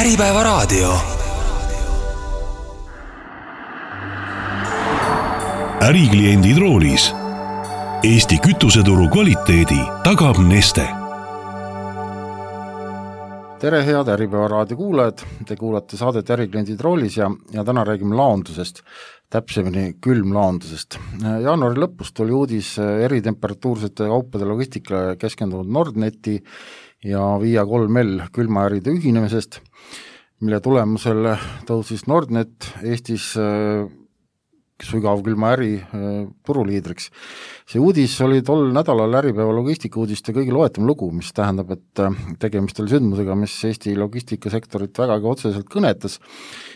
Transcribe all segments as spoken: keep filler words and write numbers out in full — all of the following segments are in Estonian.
Äripäevaraadio. Ärikliendid roolis. Eesti kütuseturu kvaliteedi tagab Neste. Tere head Äripäevaraadio kuulajad, te kuulate saadet Ärikliendid roolis ja, ja täna räägime laondusest, täpsemini külmlaondusest. Jaanuari lõpus tuli uudis eritemperatuursete kaupade logistikale keskendunud Nordneti ja Via kolm L külmaäride ühinemisest, mille tulemusel tõusis Nordnet Eestis sügavkülmaäri turuliidriks. See uudis oli tol nädalal Äripäeva logistikuudiste kõige loetam lugu, mis tähendab, et tegemist oli sündmusega, mis Eesti logistikasektorit vägagi otseselt kõnetas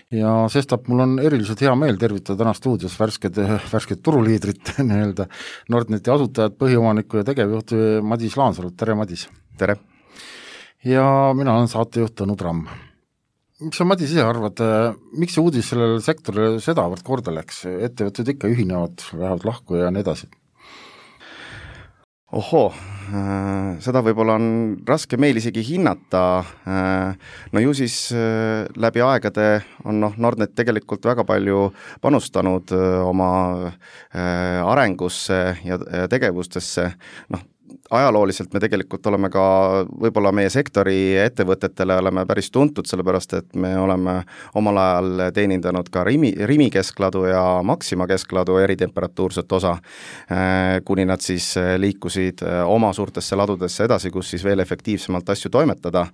ja sestap mul on eriliselt hea meel tervitada täna stuudios värsked, värsked turuliidrit, nii-öelda Nordneti asutajad, põhiomaniku ja tegevjuht Madis Laansalu. Tere, Madis! Tere! Ja mina olen saatejuht Tõnu Tramm. Mis sa, Madis, ise arvad, miks see uudis sellele sektorile sedavõrd korda läks? Ettevõtted ikka ühinevad, lähevad lahku ja nii edasi. Ohoo, seda võib-olla on raske meil isegi hinnata. No ju siis läbi aegade on no, Nordnet tegelikult väga palju panustanud oma arengusse ja tegevustesse. Noh, ajalooliselt me tegelikult oleme ka võib-olla meie sektori ettevõtetele oleme päris tuntud, sellepärast et me oleme omal ajal teenindanud ka Rimi, Rimi keskladu ja Maxima keskladu eritemperatuurset osa, kuni nad siis liikusid oma suurtesse ladudesse edasi, kus siis veel efektiivsemalt asju toimetada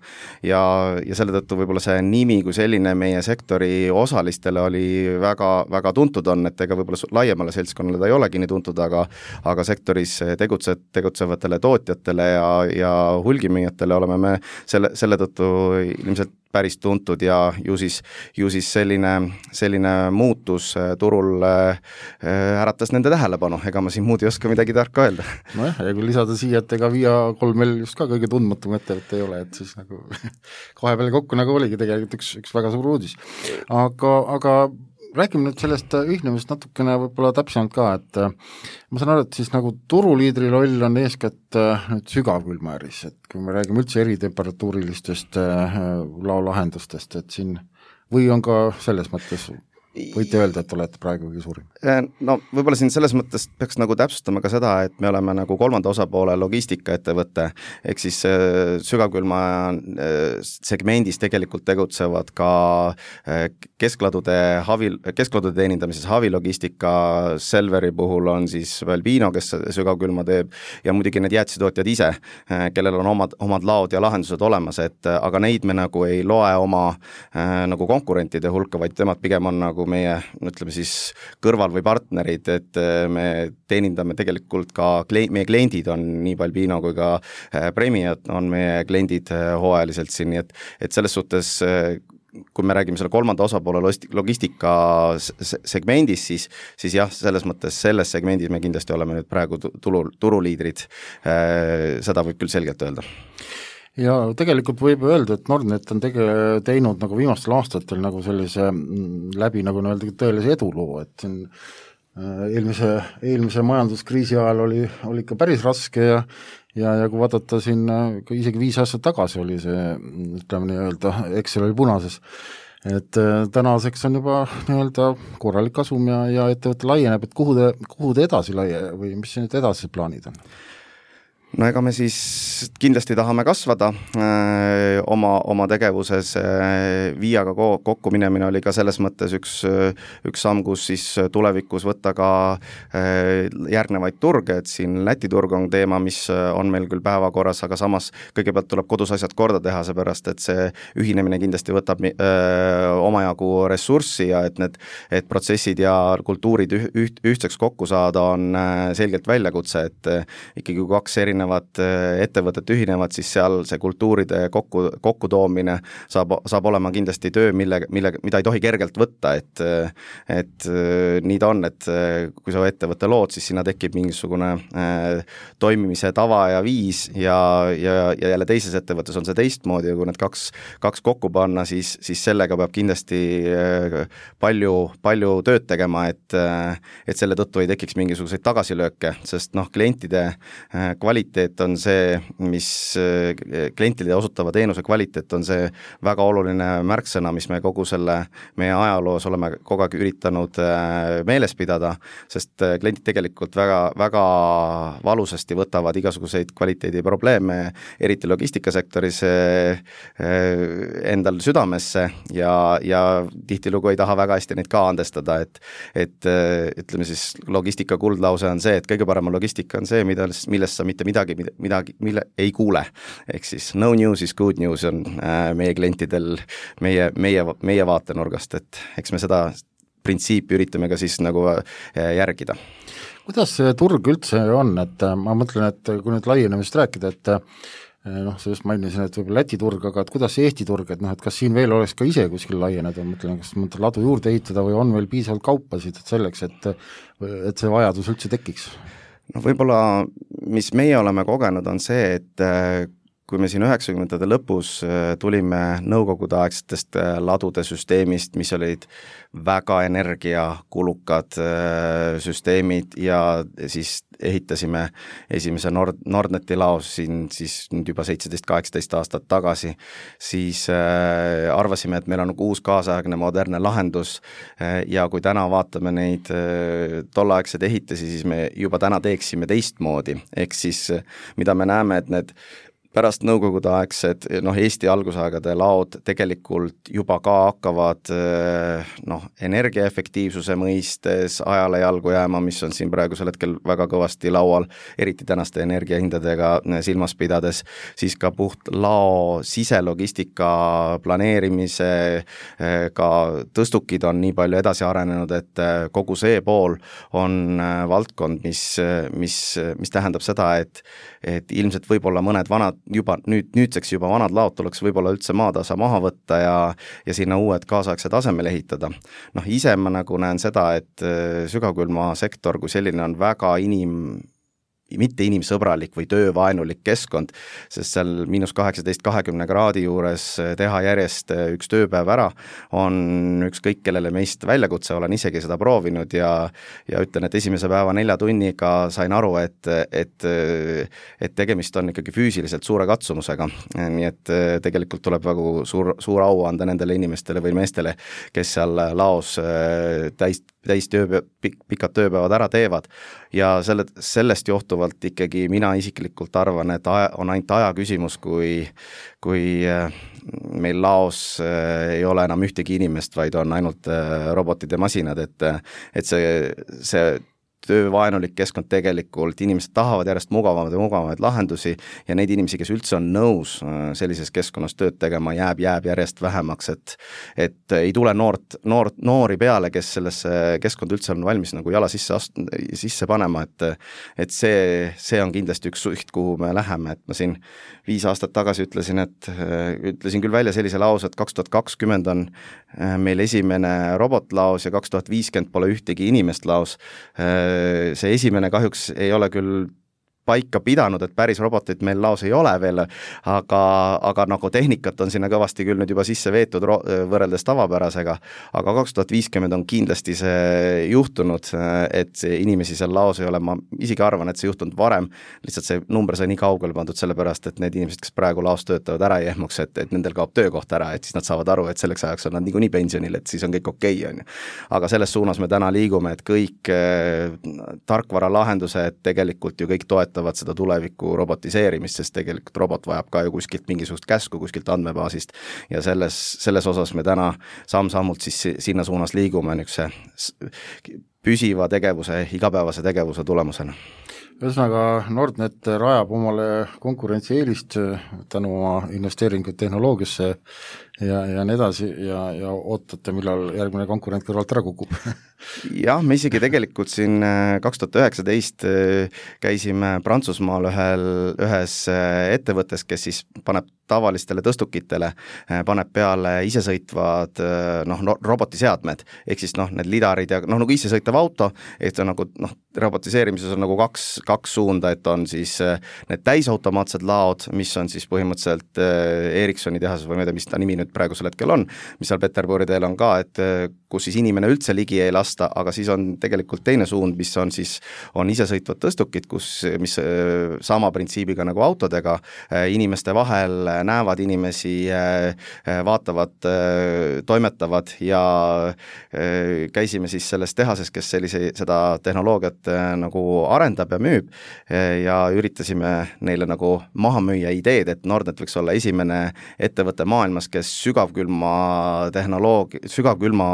ja, ja selle tõttu võib-olla see nimi kui selline meie sektori osalistele oli väga, väga tuntud on, et ega võib-olla laiemale seltskonnale ta ei olegi nii tuntud, aga, aga sektoris tegutse, tegutsevatele tootjatele ja, ja hulgimüüjatele oleme me selle, selle tõttu ilmselt päris tuntud ja ju siis, ju siis selline, selline muutus turul äratas nende tähelepanu, ega ma siin muud ei oska midagi tarka öelda. No jah, ja kui lisada siia, et ega Via kolm L just ka kõige tundmatum ettevõte ei ole, et siis nagu kahe peale kokku nagu oligi tegelikult üks, üks väga suur uudis. Aga, aga räägime nüüd sellest ühinemist natukene võib-olla täpsemalt ka, et ma saan aru, et siis nagu turuliidri roll on eeskätt nüüd sügavkülmaäris, et kui me räägime üldse eritemperatuurilistest laolahendustest, et siin või on ka selles mõttes võite öelda, et olete praegu kõige suurim? No võib-olla siin selles mõttes peaks nagu täpsustama ka seda, et me oleme nagu kolmanda osapoole logistikaettevõte, ehk siis sügavkülma segmendis tegelikult tegutsevad ka keskladude, havi, keskladude teenindamises havilogistika, Selveri puhul on siis Velbino, kes sügavkülma teeb ja muidugi need jäätisetootjad ise, kellel on omad, omad laod ja lahendused olemas, et aga neid me nagu ei loe oma nagu konkurentide hulka, vaid temad pigem on nagu meie, ütleme siis kõrval või partnerid, et me teenindame tegelikult ka, meie kliendid on nii Balbino kui ka Premiat on meie kliendid hooajaliselt siin, et, et selles suhtes kui me räägime selle kolmanda osapoole logistika segmendis, siis, siis jah, selles mõttes selles segmendis me kindlasti oleme nüüd praegu turu, turuliidrid, seda võib küll selgelt öelda. Ja tegelikult võib öelda, et Nordnet on tege- teinud nagu viimastel aastatel nagu sellise läbi nagu öelda tõelise eduloo, et siin eelmise, eelmise majanduskriisi ajal oli, oli ikka päris raske ja ja, ja kui vaadata siin isegi viis aastat tagasi oli see, ütleme nii öelda, Excel oli punases, et tänaseks on juba nii-öelda korralik kasum ja, ja ettevõte laieneb, et kuhu te, kuhu te edasi laie või mis nüüd edasi plaanid on? No ega me siis kindlasti tahame kasvada öö, oma, oma tegevuses, Viaga kokku minemine oli ka selles mõttes üks, üks samm, kus siis tulevikus võtta ka öö, järgnevaid turge, et siin Läti turg on teema, mis on meil küll päevakorras, aga samas kõigepealt tuleb kodus asjad korda teha, seepärast et see ühinemine kindlasti võtab öö, omajagu ressurssi ja et need et protsessid ja kultuurid üht, üht, ühtseks kokku saada on öö, selgelt väljakutse, et öö, ikkagi kaks erinevat ettevõtet ühinevad, siis seal see kultuuride kokku, kokkutoomine saab, saab olema kindlasti töö, mille, mille, mida ei tohi kergelt võtta, et, et nii ta on, et kui sa ettevõtte lood, siis sinna tekib mingisugune toimimise tava ja viis ja, ja, ja jälle teises ettevõttes on see teistmoodi ja kui need kaks, kaks kokku panna, siis, siis sellega peab kindlasti palju, palju tööd tegema, et, et selle tõttu ei tekiks mingisuguseid tagasilööke, sest noh, klientide kvaliteet kvaliteet on see, mis klientide osutava teenuse kvaliteet on see väga oluline märksõna, mis me kogu selle meie ajaloos oleme kogu aeg üritanud meeles pidada, sest kliendid tegelikult väga, väga valusasti võtavad igasuguseid kvaliteediprobleeme, eriti logistikasektoris endal südamesse ja, ja tihtilugu ei taha väga hästi neid ka andestada, et, et ütleme siis logistika kuldlause on see, et kõige parema logistika on see, mida, millest sa mitte midagi, midagi, mille ei kuule. Ehk siis no news is good news on äh, meie klientidel meie, meie, meie vaatenurgast, et eks me seda printsiipi üritame ka siis nagu äh, järgida. Kuidas see turg üldse on, et äh, ma mõtlen, et kui nüüd laienemist rääkida, et äh, noh, sa just mainisin, et võib-olla Läti turg, aga et kuidas see Eesti turg, et noh, et kas siin veel oleks ka ise kuskil laieneda, mõtlen, kas mõtlen ladu juurde ehitada või on veel piisavalt kaupasid et selleks, et, et see vajadus üldse tekiks? No võib-olla, mis meie oleme kogenud, on see, et kui me siin üheksakümnendate lõpus tulime nõukogudeaegsetest ladude süsteemist, mis olid väga energiakulukad süsteemid ja siis ehitasime esimese Nord, Nordneti laos siin siis nüüd juba seitseteist kaheksateist aastat tagasi, siis äh, arvasime, et meil on uus kaasaegne modernne lahendus äh, ja kui täna vaatame neid äh, tolleaegseid ehitisi, siis me juba täna teeksime teistmoodi, ehk siis mida me näeme, et need pärast nõukogudeaegsed, noh, Eesti algusaegade laod tegelikult juba ka hakkavad noh, energiaefektiivsuse mõistes ajale jalgu jääma, mis on siin praegusel hetkel väga kõvasti laual, eriti tänaste energiahindadega silmas pidades, siis ka puht lao siselogistika planeerimise, ka tõstukid on nii palju edasi arenenud, et kogu see pool on valdkond, mis, mis, mis tähendab seda, et, et ilmselt võib-olla mõned vanad juba nüüd, nüüdseks juba vanad laod tuleks võib-olla üldse maatasa maha võtta ja, ja sinna uued kaasaegsed asemel ehitada. Noh, ise ma nagu näen seda, et sügavkülma sektor kui selline on väga inim mitte inimsõbralik või töövaenulik keskkond, sest seal miinus kaheksateist kahekümne kraadi juures teha järjest üks tööpäev ära on ükskõik kellele meist väljakutse, olen isegi seda proovinud ja, ja ütlen, et esimese päeva nelja tunniga sain aru, et, et, et tegemist on ikkagi füüsiliselt suure katsumusega, nii et tegelikult tuleb väga suur, suur au anda nendele inimestele või meestele, kes seal laos täis täis töö, pik, pikad tööpäevad ära teevad ja selle, sellest johtuvalt ikkagi mina isiklikult arvan, et aja, on ainult aja küsimus, kui, kui meil laos ei ole enam ühtegi inimest, vaid on ainult robotid ja masinad, et, et see, see töövaenulik keskkond tegelikult, inimesed tahavad järjest mugavamaid ja mugavamaid lahendusi ja neid inimesi, kes üldse on nõus sellises keskkonnas tööd tegema, jääb, jääb järjest vähemaks, et, et ei tule noort, noort, noori peale, kes sellesse keskkonda üldse on valmis nagu jala sisse, ast, sisse panema, et, et see, see on kindlasti üks suht, kuhu me läheme, et ma siin viis aastat tagasi ütlesin, et ütlesin küll välja sellise lause, et kaks tuhat kakskümmend on meil esimene robotlaos ja kaks tuhat viiskümmend pole ühtegi inimest laos. See esimene kahjuks ei ole küll paika pidanud, et päris robotit meil laos ei ole veel, aga, aga nagu tehnikat on sinna kõvasti küll nüüd juba sisse veetud ro- võrreldes tavapärasega, aga kaks tuhat viiskümmend on kindlasti see juhtunud, et inimesi seal laos ei ole, ma isegi arvan, et see juhtunud varem, lihtsalt see number sai nii kaugele pandud sellepärast, et need inimesed, kes praegu laos töötavad ära ei ehmuks, et, et nendel kaob töökoht ära, et siis nad saavad aru, et selleks ajaks on nad niikuinii pensionil, et siis on kõik okei, on ju. Aga selles suunas me täna liigume, et kõik eh, tarkvara lahendused tegelikult ju kõik toetavad seda tuleviku robotiseerimist, sest tegelikult robot vajab ka ju kuskilt mingisugust käsku, kuskilt andmebaasist ja selles, selles osas me täna samm-sammult siis sinna suunas liigume niisuguse püsiva tegevuse, igapäevase tegevuse tulemusena. Ühesõnaga, Nordnet rajab omale konkurentsieelist tänu oma investeeringuid tehnoloogiasse ja, ja nii edasi ja, ja ootate, millal järgmine konkurent kõrvalt ära kukub. Jah, me isegi tegelikult siin kaks tuhat üheksateist käisime Prantsusmaal ühel, ühes ettevõttes, kes siis paneb tavalistele tõstukitele paneb peale isesõitvad noh, no, robotiseadmed, ehk siis noh, need lidarid ja noh, nagu isesõitav auto, et see on nagu noh, robotiseerimises on nagu kaks, kaks suunda, et on siis need täisautomaatsed laod, mis on siis põhimõtteliselt Ericssoni tehases või ma ei tea, mis ta nimi nüüd praegusel hetkel on, mis seal Peterburi teel on ka, et kus siis inimene üldse ligi ei lasta, aga siis on tegelikult teine suund, mis on siis, on isesõitvad tõstukid, kus, mis sama printsiibiga nagu autodega, inimeste vahel näevad inimesi, vaatavad, toimetavad ja käisime siis selles tehases, kes sellise, seda tehnoloogiat nagu arendab ja müüb ja üritasime neile nagu maha müüa ideed, et Nordnet võiks olla esimene ettevõte maailmas, kes sügavkülma tehnoloogia, sügavkülma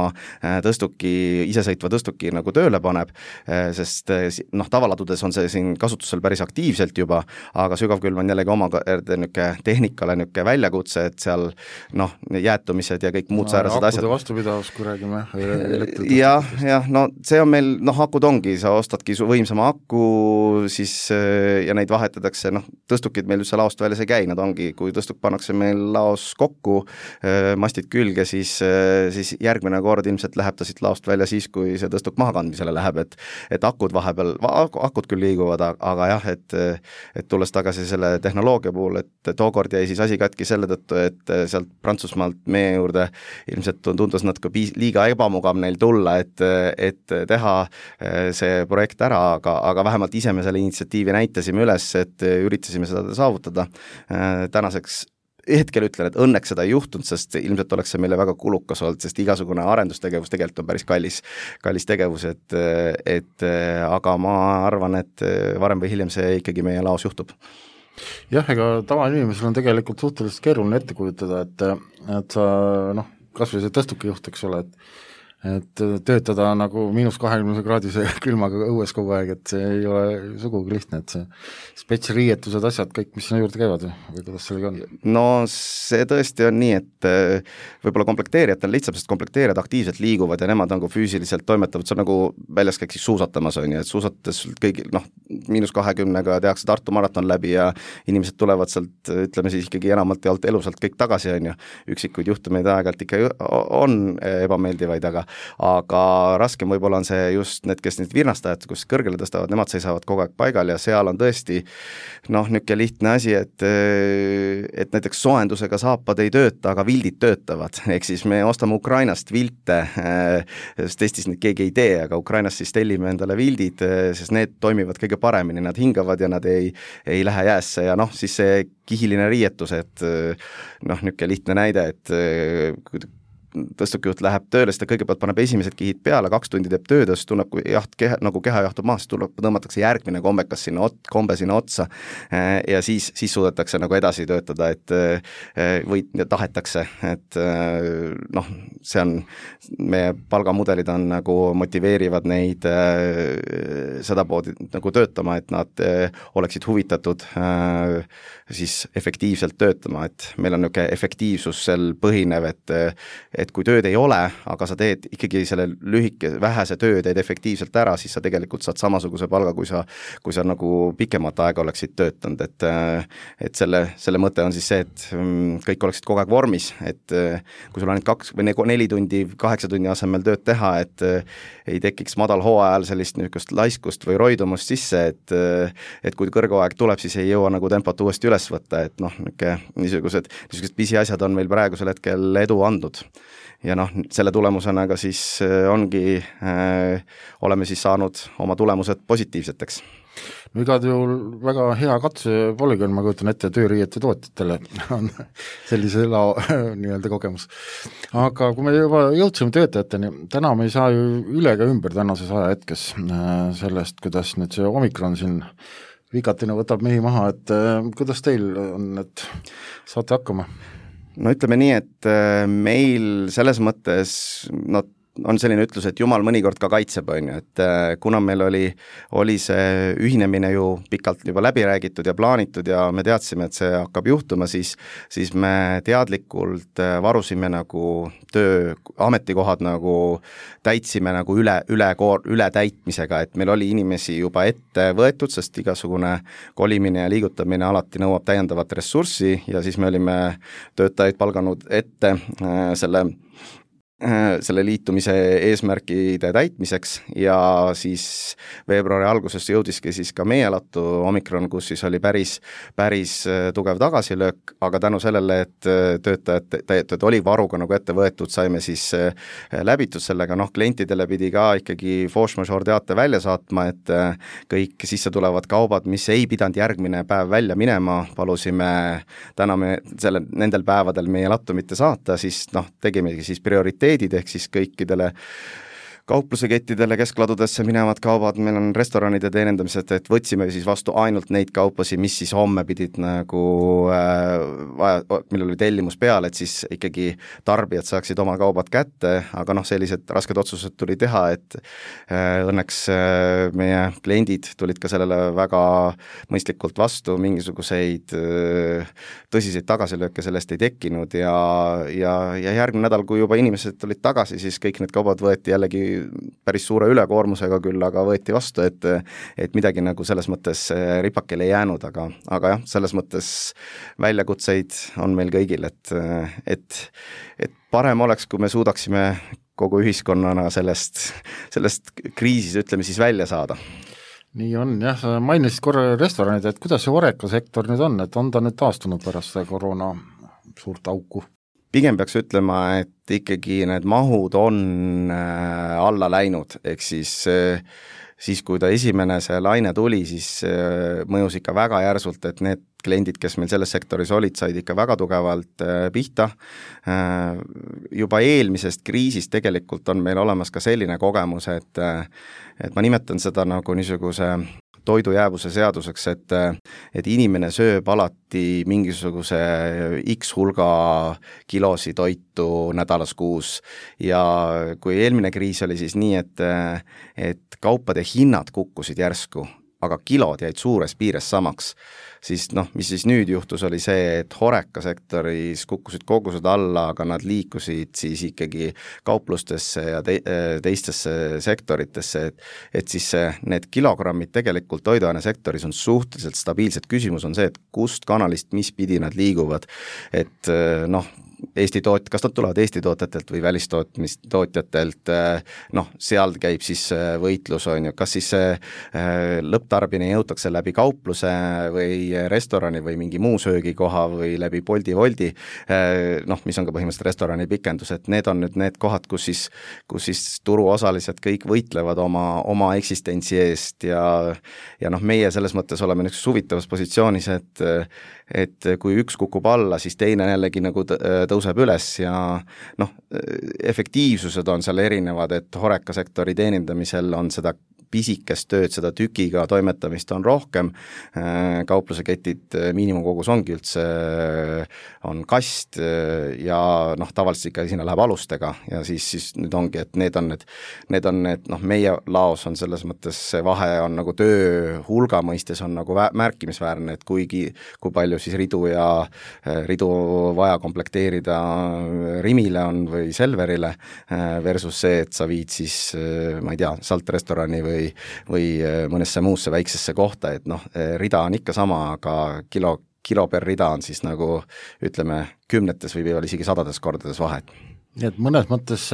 tõstuki, isesõitva tõstuki nagu tööle paneb, sest noh, tavaladudes on see siin kasutusel päris aktiivselt juba, aga sügavkülm on jällegi oma niuke tehnikale niuke väljakutse, et seal noh, jäätumised ja kõik muud no, säärased asjad. Vastupidavus, kui räägime. jah, jah, no see on meil, noh, akud ongi, sa ostadki su võimsama aku, siis ja neid vahetatakse, noh, tõstukid meil üldse laost väljas ei käi, nad ongi, kui tõstuk pannakse meil laos kokku, mastid külge, siis, siis järgmine kord ilmselt läheb ta siit laost välja siis, kui see tõstuk mahakandmisele läheb, et, et akud vahepeal, akud küll liiguvad, aga jah, et, et tulles tagasi selle tehnoloogia puhul, et tookord jäi siis asi katki selle tõttu, et sealt Prantsusmaalt meie juurde ilmselt tundus natuke liiga ebamugav neil tulla, et, et teha see projekt ära, aga, aga vähemalt ise me selle initsiatiivi näitasime üles, et üritasime seda saavutada. Tänaseks hetkel ütlen, et õnneks seda ei juhtunud, sest ilmselt oleks see meile väga kulukas olnud, sest igasugune arendustegevus tegelikult on päris kallis, kallis tegevus, et, et aga ma arvan, et varem või hiljem see ikkagi meie laos juhtub. Jah, ega tavainimesel on tegelikult suhteliselt keeruline ette kujutada, et, et sa noh, kas või see tõstuki juht, eks ole, et et töötada nagu miinus kahekümne kraadise külmaga õues kogu aeg, et see ei ole sugugi lihtne, et see spetsriietused, asjad, kõik, mis sinna juurde käivad või kuidas sellega on? No see tõesti on nii, et võib-olla komplekteerijad on lihtsam, sest komplekteerijad aktiivselt liiguvad ja nemad nagu füüsiliselt toimetavad, see on nagu väljas käiks suusatamas on ju, et suusatades kõigil noh, miinus kahekümnega tehakse Tartu maraton läbi ja inimesed tulevad sealt, ütleme siis ikkagi enamalt jaolt elusalt kõik tagasi on ju, üksikuid juhtumeid aeg-ajalt ikka on ebameeldivaid, aga aga raskem võib-olla on see just need, kes need virnastajad, kus kõrgele tõstavad, nemad seisavad kogu aeg paigal ja seal on tõesti noh, niisugune lihtne asi, et et näiteks soojendusega saapad ei tööta, aga vildid töötavad, ehk siis me ostame Ukrainast vilte, sest Eestis neid keegi ei tee, aga Ukrainast siis tellime endale vildid, sest need toimivad kõige paremini, nad hingavad ja nad ei, ei lähe jäässe ja noh, siis see kihiline riietus, et noh, niisugune lihtne näide, et tõstukijuht läheb tööle, siis ta kõigepealt paneb esimesed kihid peale, kaks tundi teeb tööd, siis tunneb, kui jaht, keha, nagu keha jahtub maha, siis tuleb, tõmmatakse järgmine kombekas sinna, kombe sinna otsa ja siis, siis suudetakse nagu edasi töötada, et või tahetakse, et noh, see on, meie palgamudelid on nagu motiveerivad neid sedapoodi nagu töötama, et nad oleksid huvitatud siis efektiivselt töötama, et meil on niisugune efektiivsusel põhinev, et, et kui tööd ei ole, aga sa teed ikkagi selle lühike, vähese töö teed efektiivselt ära, siis sa tegelikult saad samasuguse palga, kui sa, kui sa nagu pikemat aega oleksid töötanud, et, et selle, selle mõte on siis see, et kõik oleksid kogu aeg vormis, et kui sul on ainult kaks või neli tundi, kaheksa tunni asemel tööd teha, et ei tekiks madal hooajal sellist niisugust laiskust või roidumust sisse, et, et kui kõrgoaeg tuleb, siis ei jõua nagu tempot uuesti üles võtta, et noh, niisugused, niisugused pisiasjad on meil praegusel hetkel edu andnud. Ja noh, selle tulemusena ka siis ongi, äh, oleme siis saanud oma tulemused positiivseteks. No igal juhul väga hea katse polügoon, ma kujutan ette, tööriiete tootjatele on sellise lao nii-öelda kogemus. Aga kui me juba jõudsime töötajateni, täna me ei saa ju üle ka ümber tänases ajahetkes sellest, kuidas nüüd see Omikron siin vikatina võtab mehi maha, et kuidas teil on, et saate hakkama? No ütleme nii, et meil selles mõttes no, on selline ütlus, et jumal mõnikord ka kaitseb, on ju, et kuna meil oli, oli see ühinemine ju pikalt juba läbi räägitud ja plaanitud ja me teadsime, et see hakkab juhtuma, siis, siis me teadlikult varusime nagu töö, ametikohad nagu täitsime nagu üle, üle, üle täitmisega, et meil oli inimesi juba ette võetud, sest igasugune kolimine ja liigutamine alati nõuab täiendavat ressurssi ja siis me olime töötajaid palganud ette äh, selle selle liitumise eesmärkide täitmiseks ja siis veebruari alguses jõudiski siis ka meie lattu Omikron, kus siis oli päris, päris tugev tagasilöök, aga tänu sellele, et töötajad, töötajad oli varuga nagu ette võetud, saime siis läbitud sellega, noh, klientidele pidi ka ikkagi force majeure teate välja saatma, et kõik sisse tulevad kaubad, mis ei pidanud järgmine päev välja minema, palusime täna me selle, nendel päevadel meie lattu mitte saata, siis noh, tegimegi siis prioriteet ehk siis kõikidele kauplusekettidele, keskladudesse minevad kaubad, meil on restoranide teenindamised, et võtsime siis vastu ainult neid kauplasi, mis siis homme pidid nagu äh, vaja, millel oli tellimus peal, et siis ikkagi tarbijad saaksid oma kaubad kätte, aga noh, sellised rasked otsused tuli teha, et äh, õnneks äh, meie kliendid tulid ka sellele väga mõistlikult vastu, mingisuguseid äh, tõsiseid tagasilööke sellest ei tekkinud ja, ja, ja järgmine nädal, kui juba inimesed tulid tagasi, siis kõik need kaubad võeti jällegi päris suure ülekoormusega küll, aga võeti vastu, et, et midagi nagu selles mõttes ripakele ei jäänud, aga, aga jah, selles mõttes väljakutseid on meil kõigil, et, et, et parem oleks, kui me suudaksime kogu ühiskonnana sellest, sellest kriisis, ütleme siis, välja saada. Nii on, jah, sa mainisid korra restoranid, et kuidas see Horeca sektor nüüd on, et on ta nüüd taastunud pärast seda koroona suurt auku? Pigem peaks ütlema, et ikkagi need mahud on äh, alla läinud, ehk siis, äh, siis kui ta esimene see laine tuli, siis äh, mõjus ikka väga järsult, et need kliendid, kes meil selles sektoris olid, said ikka väga tugevalt äh, pihta. Äh, juba eelmisest kriisist tegelikult on meil olemas ka selline kogemus, et, äh, et ma nimetan seda nagu niisuguse toidujäävuse seaduseks, et, et inimene sööb alati mingisuguse X hulga kilosi toitu nädalas kuus ja kui eelmine kriis oli siis nii, et, et kaupade hinnad kukkusid järsku, aga kilod jäid suures piires samaks, siis noh, mis siis nüüd juhtus, oli see, et Horeca sektoris kukkusid kogused alla, aga nad liikusid siis ikkagi kauplustesse ja te, teistesse sektoritesse, et, et siis need kilogrammid tegelikult toiduaine sektoris on suhteliselt stabiilsed. Küsimus on see, et kust kanalist, mis pidi nad liiguvad, et noh, Eesti toot-, kas nad tulevad Eesti tootjatelt või välistootjatelt, noh, seal käib siis võitlus, on ju, kas siis lõpptarbini jõutakse läbi kaupluse või restorani või mingi muu söögikoha või läbi Bolti Wolti, noh, mis on ka põhimõtteliselt restorani pikendus, et need on nüüd need kohad, kus siis, kus siis turuosalised kõik võitlevad oma, oma eksistentsi eest ja, ja noh, meie selles mõttes oleme niisuguses huvitavas positsioonis, et, et kui üks kukub alla, siis teine jällegi nagu tõuseb üles ja noh, efektiivsused on seal erinevad, et Horeca sektori teenindamisel on seda pisikest tööd, seda tükiga toimetamist on rohkem, kaupluseketid miinimumkogus ongi üldse, on kast ja noh, tavaliselt ikka sinna läheb alustega ja siis, siis nüüd ongi, et need on need, need on need, noh, meie laos on selles mõttes see vahe on nagu töö hulga mõistes on nagu märkimisväärne, et kuigi, kui palju siis ridu ja ridu vaja komplekteerida Rimile on või Selverile versus see, et sa viid siis, ma ei tea, saltrestorani või või, või mõnesse muusse väiksesse kohta, et noh, rida on ikka sama, aga kilo, kilo per rida on siis nagu ütleme kümnetes või veel isegi sadades kordades vahet. Nii et mõnes mõttes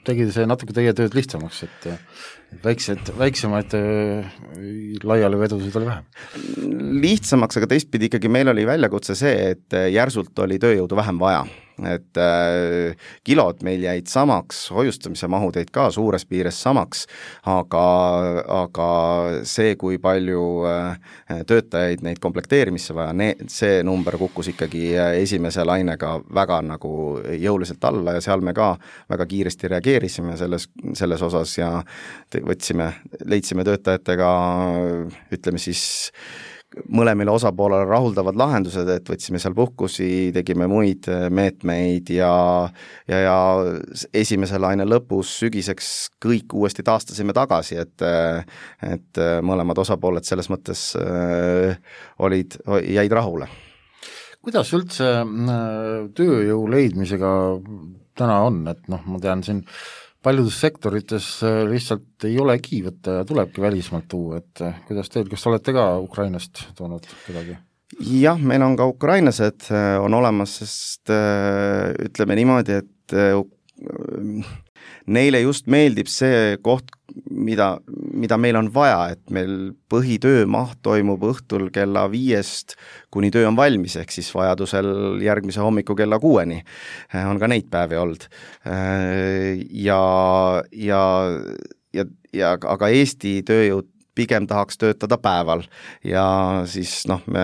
tegi see natuke teie tööd lihtsamaks, et väiksed, väiksemaid laiali vedusid oli vähem. Lihtsamaks, aga teistpidi ikkagi meil oli väljakutse see, et järsult oli tööjõudu vähem vaja. Et äh, kilod meil jäid samaks, hoiustamise mahud jäid ka suures piires samaks, aga, aga see, kui palju äh, töötajaid neid komplekteerimisse vaja, ne, see number kukkus ikkagi esimese lainega väga nagu jõuliselt alla ja seal me ka väga kiiresti reageerisime selles, selles osas ja võtsime, leidsime töötajatega, ütleme siis mõlemile osapoolele rahuldavad lahendused, et võtsime seal puhkusi, tegime muid meetmeid ja, ja, ja esimese laine lõpus sügiseks kõik uuesti taastasime tagasi, et, et mõlemad osapooled selles mõttes olid, jäid rahule. Kuidas üldse tööjõu leidmisega täna on, et noh, ma tean siin paljudes sektorites lihtsalt ei olegi võtta ja tulebki välismaalt tuua, et kuidas teil, kas olete ka Ukrainast toonud kedagi? Jah, meil on ka ukrainlased on olemas, sest ütleme niimoodi, et neile just meeldib see koht, mida, mida meil on vaja, et meil põhitöömaht toimub õhtul kella viiest, kuni töö on valmis, ehk siis vajadusel järgmise hommiku kella kuueni on ka neid päevi olnud. Ja, ja, ja, ja aga Eesti tööjõud pigem tahaks töötada päeval ja siis noh, me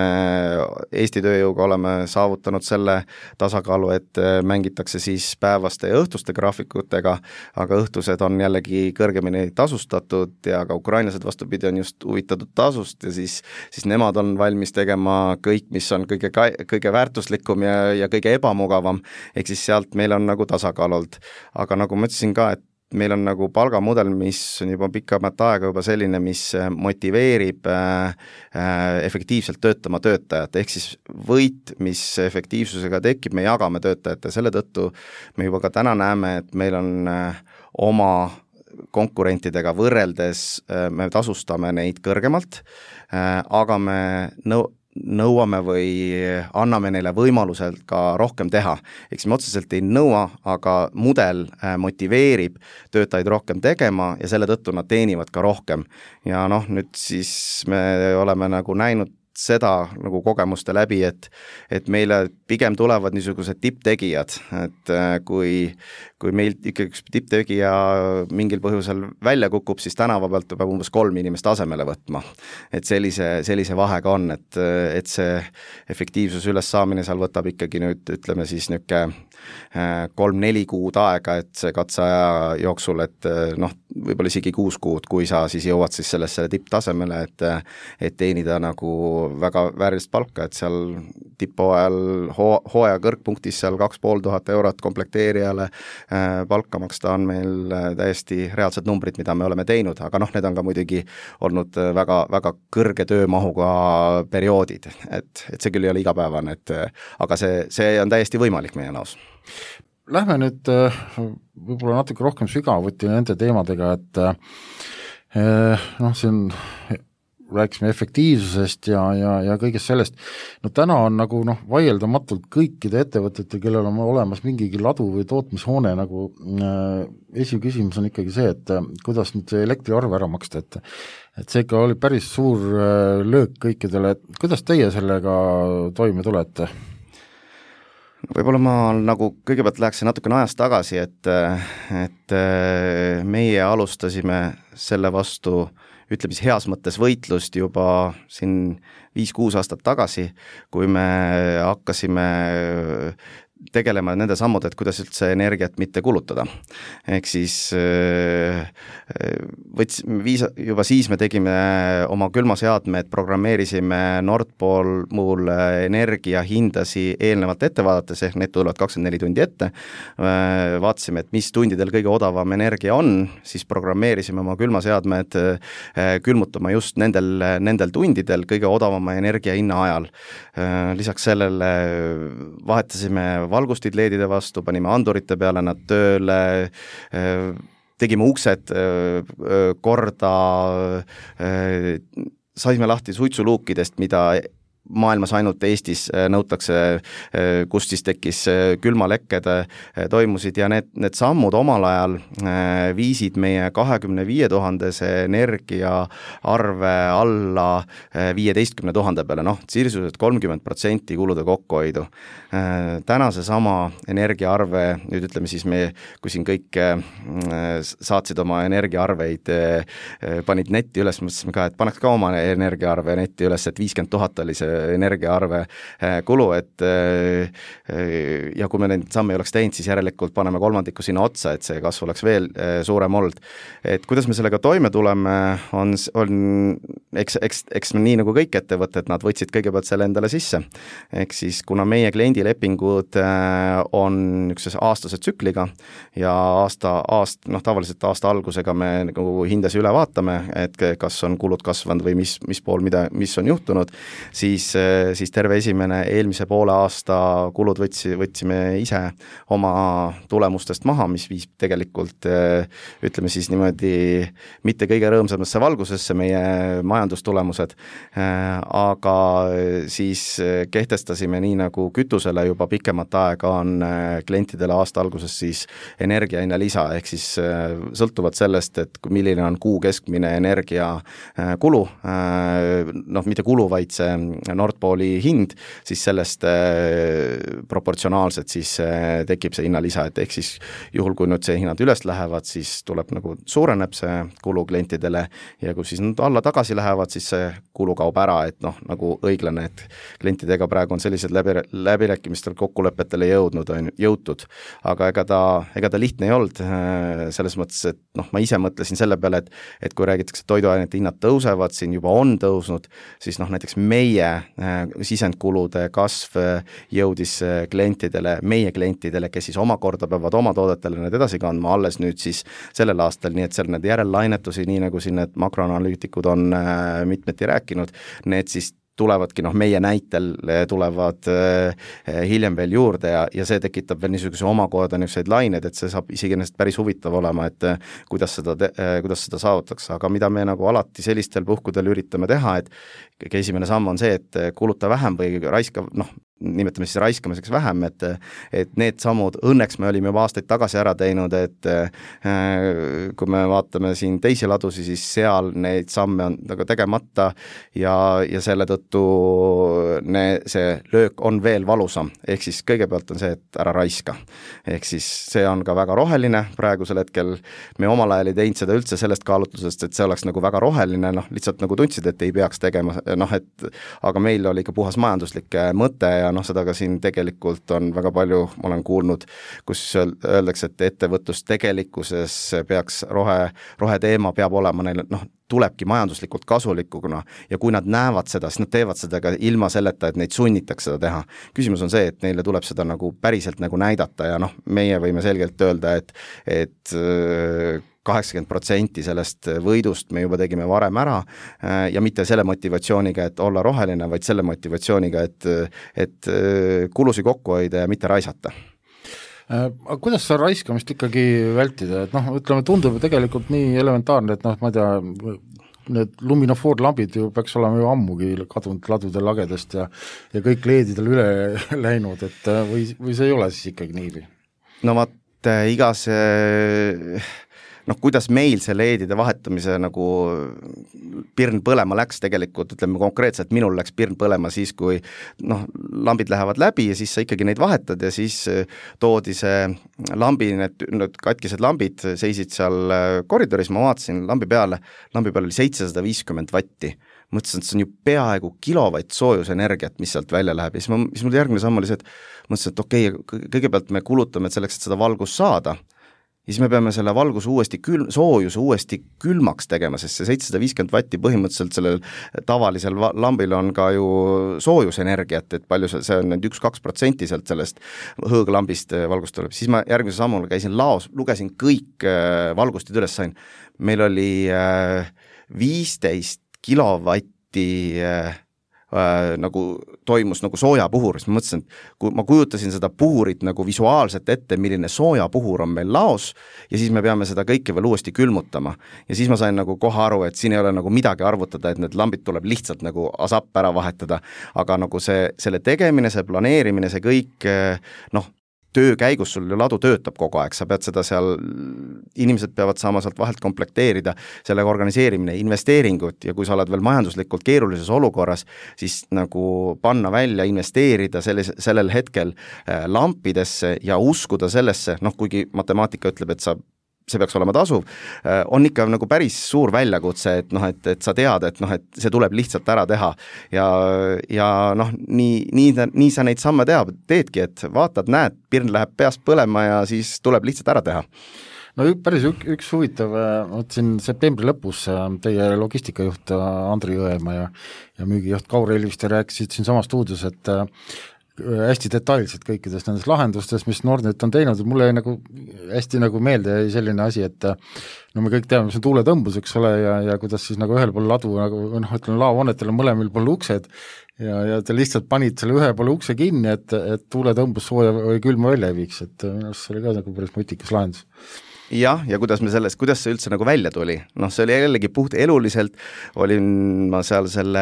Eesti tööjõuga oleme saavutanud selle tasakaalu, et mängitakse siis päevaste ja õhtuste graafikutega, aga õhtused on jällegi kõrgemini tasustatud ja ka ukrainlased vastupidi on just huvitatud tasust ja siis, siis nemad on valmis tegema kõik, mis on kõige, kõige väärtuslikum ja, ja kõige ebamugavam, ehk siis sealt meil on nagu tasakaal olnud. Aga nagu ma ütlesin ka, et meil on nagu palgamudel, mis on juba pikamat aega juba selline, mis motiveerib äh, efektiivselt töötama töötajat, ehk siis võit, mis efektiivsusega tekib, me jagame töötajate, selle tõttu me juba ka täna näeme, et meil on äh, oma konkurentidega võrreldes, äh, me tasustame neid kõrgemalt, äh, aga me nõu-, nõuame või anname neile võimalusel ka rohkem teha. Eks me otseselt ei nõua, aga mudel motiveerib töötajaid rohkem tegema ja selle tõttu nad teenivad ka rohkem. Ja noh, nüüd siis me oleme nagu näinud seda nagu kogemuste läbi, et, et meile pigem tulevad niisugused tipptegijad, et kui, kui meil ikkagi üks tipptegija mingil põhjusel välja kukub, siis tänava pealt peab umbes kolm inimest asemele võtma. Et sellise, sellise vahega on, et, et see efektiivsus üles saamine seal võtab ikkagi nüüd, ütleme siis niuke kolm-neli kuud aega, et see katseaja jooksul, et noh, võib-olla isegi kuus kuud, kui sa siis jõuad siis sellesse tipptasemele, et, et teenida nagu väga väärilist palka, et seal tipphooajal hoo, hooaja kõrgpunktis seal kaks pool tuhat eurot komplekteerijale äh, palka maksta on meil täiesti reaalsed numbrid, mida me oleme teinud, aga noh, need on ka muidugi olnud väga, väga kõrge töömahuga perioodid, et, et see küll ei ole igapäevane, et aga see, see on täiesti võimalik meie näos. Lähme nüüd võib-olla natuke rohkem sügavuti nende teemadega, et noh, siin rääkisime efektiivsusest ja, ja, ja kõigest sellest. No täna on nagu noh, vaieldamatult kõikide ettevõtete, kellel on olemas mingigi ladu või tootmishoone, nagu äh, esiküsimus on ikkagi see, et äh, kuidas nüüd see elektriarve ära maksta, et et see ikka oli päris suur äh, löök kõikidele, et kuidas teie sellega toime tulete? Võib-olla ma nagu kõigepealt läheksin natukene ajast tagasi, et, et meie alustasime selle vastu, ütleme siis heas mõttes võitlust juba siin viis-kuus aastat tagasi, kui me hakkasime tegelema nende sammud, et kuidas üldse energiat mitte kulutada. Ehk siis võts, viis, juba siis me tegime oma külmaseadmed, programmeerisime Nordpool muul energia hindasi eelnevalt ette vaadates, ehk need tulevad kakskümmend neli tundi ette. Vaatasime, et mis tundidel kõige odavam energia on, siis programmeerisime oma külmaseadmed külmutama just nendel, nendel tundidel kõige odavama energia hinna ajal. Lisaks sellele vahetasime valgustid leedide vastu, panime andurite peale nad tööle, tegime uksed korda, saime lahti suitsuluukidest, mida maailmas ainult Eestis nõutakse, kus siis tekkis külmalekked toimusid ja need, need sammud omal ajal viisid meie kahekümne viie tuhandese energia arve alla viieteistkümne tuhande peale, noh, sirsuselt kolmkümmend protsenti kulude kokkuhoidu. Täna see sama energiaarve, nüüd ütleme siis me, kui siin kõik saatsid oma energiaarveid, panid netti üles, mõtlesime ka, et paneks ka oma energiaarve netti üles, et viiskümmend tuhat oli see energiaarve kulu, et ja kui me neid samme ei oleks teinud, siis järelikult paneme kolmandiku sinna otsa, et see kasv oleks veel suurem olnud. Et kuidas me sellega toime tuleme, on, on eks, eks, eks me nii nagu kõik ettevõtted, nad võtsid kõigepealt selle endale sisse. Ehk siis, kuna meie kliendilepingud on üks aastase tsükliga ja aasta, aast, noh, tavaliselt aasta algusega me nagu hindasi üle vaatame, et kas on kulud kasvanud või mis, mis pool, mida, mis on juhtunud, siis, siis terve esimene eelmise poole aasta kulud võtsi, võtsime ise oma tulemustest maha, mis viis tegelikult, ütleme siis niimoodi, mitte kõige rõõmsamasse valgusesse meie majandustulemused, aga siis kehtestasime nii nagu kütusele juba pikemat aega on klientidele aasta alguses siis energiahinna lisa, ehk siis sõltuvad sellest, et milline on kuu keskmine energia kulu, noh mitte kulu, vaid see Nord Pooli hind, siis sellest proportsionaalselt siis tekib see hinnalisa, et ehk siis juhul, kui nüüd see hinnad üles lähevad, siis tuleb nagu suureneb see kulu klientidele ja kui siis nad alla tagasi lähevad, siis see kulu kaob ära, et noh, nagu õiglane, et klientidega praegu on sellised läbi, läbirääkimistel kokkulepetele jõudnud, on jõutud, aga ega ta, ega ta lihtne ei olnud selles mõttes, et noh, ma ise mõtlesin selle peale, et, et kui räägitakse toiduainete hinnad tõusevad, siin juba on tõusnud, siis noh, näiteks meie sisendkulude kasv jõudis klientidele, meie klientidele, kes siis omakorda peavad oma toodetele need edasi kandma alles nüüd siis sellel aastal, nii et seal need järellainetusi, nii nagu siin need makroanalüütikud on mitmeti rääkinud, need siis tulevadki, noh meie näitel tulevad hiljem veel juurde ja, ja see tekitab veel niisuguse omakorda niisuguseid laineid, et see saab isegi ennast päris huvitav olema, et kuidas seda, kuidas seda saavutatakse, aga mida me nagu alati sellistel puhkudel üritame teha, et esimene samm on see, et kuluta vähem või raiska, noh, nimetame siis raiskamiseks vähem, et, et need sammud, õnneks me olime juba aastaid tagasi ära teinud, et kui me vaatame siin teisi ladusi, siis seal neid samme on nagu tegemata ja, ja selle tõttu ne, see löök on veel valusam, ehk siis kõigepealt on see, et ära raiska. Ehk siis see on ka väga roheline, praegusel hetkel me omal ajal ei teinud seda üldse sellest kaalutlusest, et see oleks nagu väga roheline, noh lihtsalt nagu tundsid, et ei peaks tegema, noh et aga meil oli ikka puhas majanduslik mõte ja noh, seda ka siin tegelikult on väga palju, ma olen kuulnud, kus öeldakse, et ettevõtlus tegelikkuses peaks rohe, roheteema peab olema neil, noh, tulebki majanduslikult kasulikuna ja kui nad näevad seda, siis nad teevad seda ka ilma selleta, et neid sunnitakse seda teha. Küsimus on see, et neile tuleb seda nagu päriselt nagu näidata ja noh, meie võime selgelt öelda, et, et kaheksakümmend protsenti sellest võidust me juba tegime varem ära ja mitte selle motivatsiooniga, et olla roheline, vaid selle motivatsiooniga, et, et kulusi kokku hoida ja mitte raisata. Aga kuidas sa raiskamist ikkagi vältida, et noh, ütleme, tundub tegelikult nii elementaarne, et noh, ma ei tea, need luminofoorlambid ju peaks olema ju ammugi kadunud ladude lagedest ja, ja kõik leedidel üle läinud, et või, või see ei ole siis ikkagi nii? No vaat, igas noh, kuidas meil see leedide vahetamise nagu pirn põlema läks tegelikult, ütleme konkreetselt, minul läks pirn põlema siis, kui noh, lambid lähevad läbi ja siis sa ikkagi neid vahetad ja siis toodi see lambi, need, need katkised lambid seisid seal koridoris, ma vaatasin lambi peale, lambi peal oli seitsesada viiskümmend vatti. Mõtlesin, et see on ju peaaegu kilovatt soojusenergiat, mis sealt välja läheb ja siis, ma, siis mul järgmine samm oli see, et mõtlesin, et okei okay,, kõigepealt me kulutame selleks, et seda valgust saada ja siis me peame selle valguse uuesti külm, soojuse uuesti külmaks tegema, sest see seitsesada viiskümmend vatti põhimõtteliselt sellel tavalisel lambil on ka ju soojusenergiat, et palju see, see on nüüd üks-kaks protsenti sealt sellest hõõglambist valgust tuleb. Siis ma järgmise sammul käisin laos, lugesin kõik valgustid üles, sain. Meil oli viisteist kilovatti äh, äh, nagu toimus nagu soojapuhur, siis ma mõtlesin, et kui ma kujutasin seda puhurit nagu visuaalselt ette, milline soojapuhur on meil laos ja siis me peame seda kõike veel uuesti külmutama. Ja siis ma sain nagu kohe aru, et siin ei ole nagu midagi arvutada, et need lambid tuleb lihtsalt nagu asapp ära vahetada, aga nagu see, selle tegemine, see planeerimine, see kõik, noh, töö käigus sul ju ladu töötab kogu aeg, sa pead seda seal, inimesed peavad saama sealt vahelt komplekteerida, sellega organiseerimine, investeeringud ja kui sa oled veel majanduslikult keerulises olukorras, siis nagu panna välja, investeerida sellis, sellel hetkel lampidesse ja uskuda sellesse, noh kuigi matemaatika ütleb, et sa see peaks olema tasuv, on ikka nagu päris suur väljakutse, et noh, et, et sa tead, et noh, et see tuleb lihtsalt ära teha ja, ja noh, nii, nii, nii sa neid samme teab, teedki, et vaatad, näed, pirn läheb peast põlema ja siis tuleb lihtsalt ära teha. No päris ük, üks huvitav, mõtlesin septembri lõpus teie logistikajuht Andri Jõemaa ja, ja müügijuht Kaur Elviste rääkisid siin sama stuudios, et hästi detailselt kõikidest nendest lahendustest, mis Nordnet on teinud, mulle jäi nagu hästi nagu meelde jäi selline asi, et no me kõik teame, mis on tuuletõmbus, eks ole, ja, ja kuidas siis nagu ühel pool ladu nagu noh, ütleme laohoonetel on mõlemil pool uksed ja, ja te lihtsalt panid selle ühe poole ukse kinni, et, et tuuletõmbus sooja või külma välja ei viiks, et minu arust see oli ka nagu päris mutikas lahendus. Jah, ja kuidas me sellest, kuidas see üldse nagu välja tuli, noh, see oli jällegi puht eluliselt, olin ma seal selle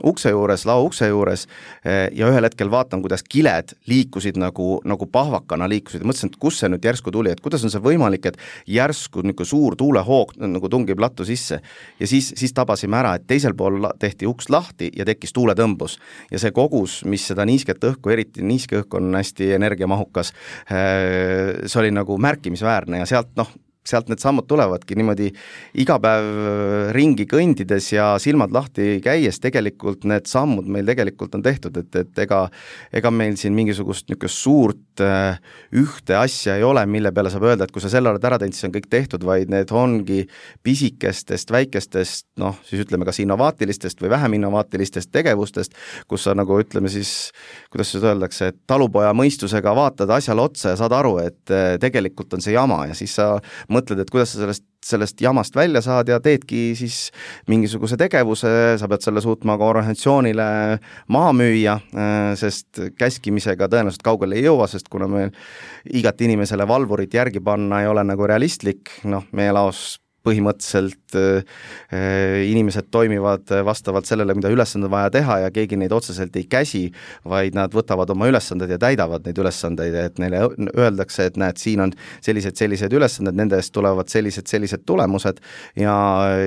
ukse juures, lao ukse juures ja ühel hetkel vaatan, kuidas kiled liikusid nagu, nagu pahvakana liikusid ja mõtlesin, et kus see nüüd järsku tuli, et kuidas on see võimalik, et järsku niisugune suur tuulehoog nagu tungib lattu sisse ja siis, siis tabasime ära, et teisel pool tehti uks lahti ja tekkis tuuletõmbus ja see kogus, mis seda niisket õhku, eriti niiske õhku on hästi energiamahukas, see oli nagu märkimisväärne ja sealt noh, sealt need sammud tulevadki niimoodi iga päev ringi kõndides ja silmad lahti käies tegelikult need sammud meil tegelikult on tehtud, et, et ega, ega meil siin mingisugust niisugust suurt äh, ühte asja ei ole, mille peale saab öelda, et kui sa selle oled ära teinud, siis on kõik tehtud, vaid need ongi pisikestest, väikestest, noh, siis ütleme kas innovaatilistest või vähem innovaatilistest tegevustest, kus sa nagu ütleme siis, kuidas seda öeldakse, et talupoja mõistusega vaatad asjale otsa ja saad aru, et äh, tegelikult on see jama ja siis sa mõtled, et kuidas sa sellest, sellest jamast välja saad ja teedki siis mingisuguse tegevuse, sa pead selle suutma ka organisatsioonile maha müüa, sest käskimisega tõenäoliselt kaugele ei jõua, sest kuna meil igat inimesele valvurit järgi panna ei ole nagu realistlik, noh, meie laos põhimõtteliselt äh, inimesed toimivad vastavalt sellele, mida ülesanded vaja teha ja keegi neid otseselt ei käsi, vaid nad võtavad oma ülesanded ja täidavad neid ülesandeid, et neile öeldakse, et näed, siin on sellised, sellised ülesanded, nende eest tulevad sellised, sellised tulemused ja,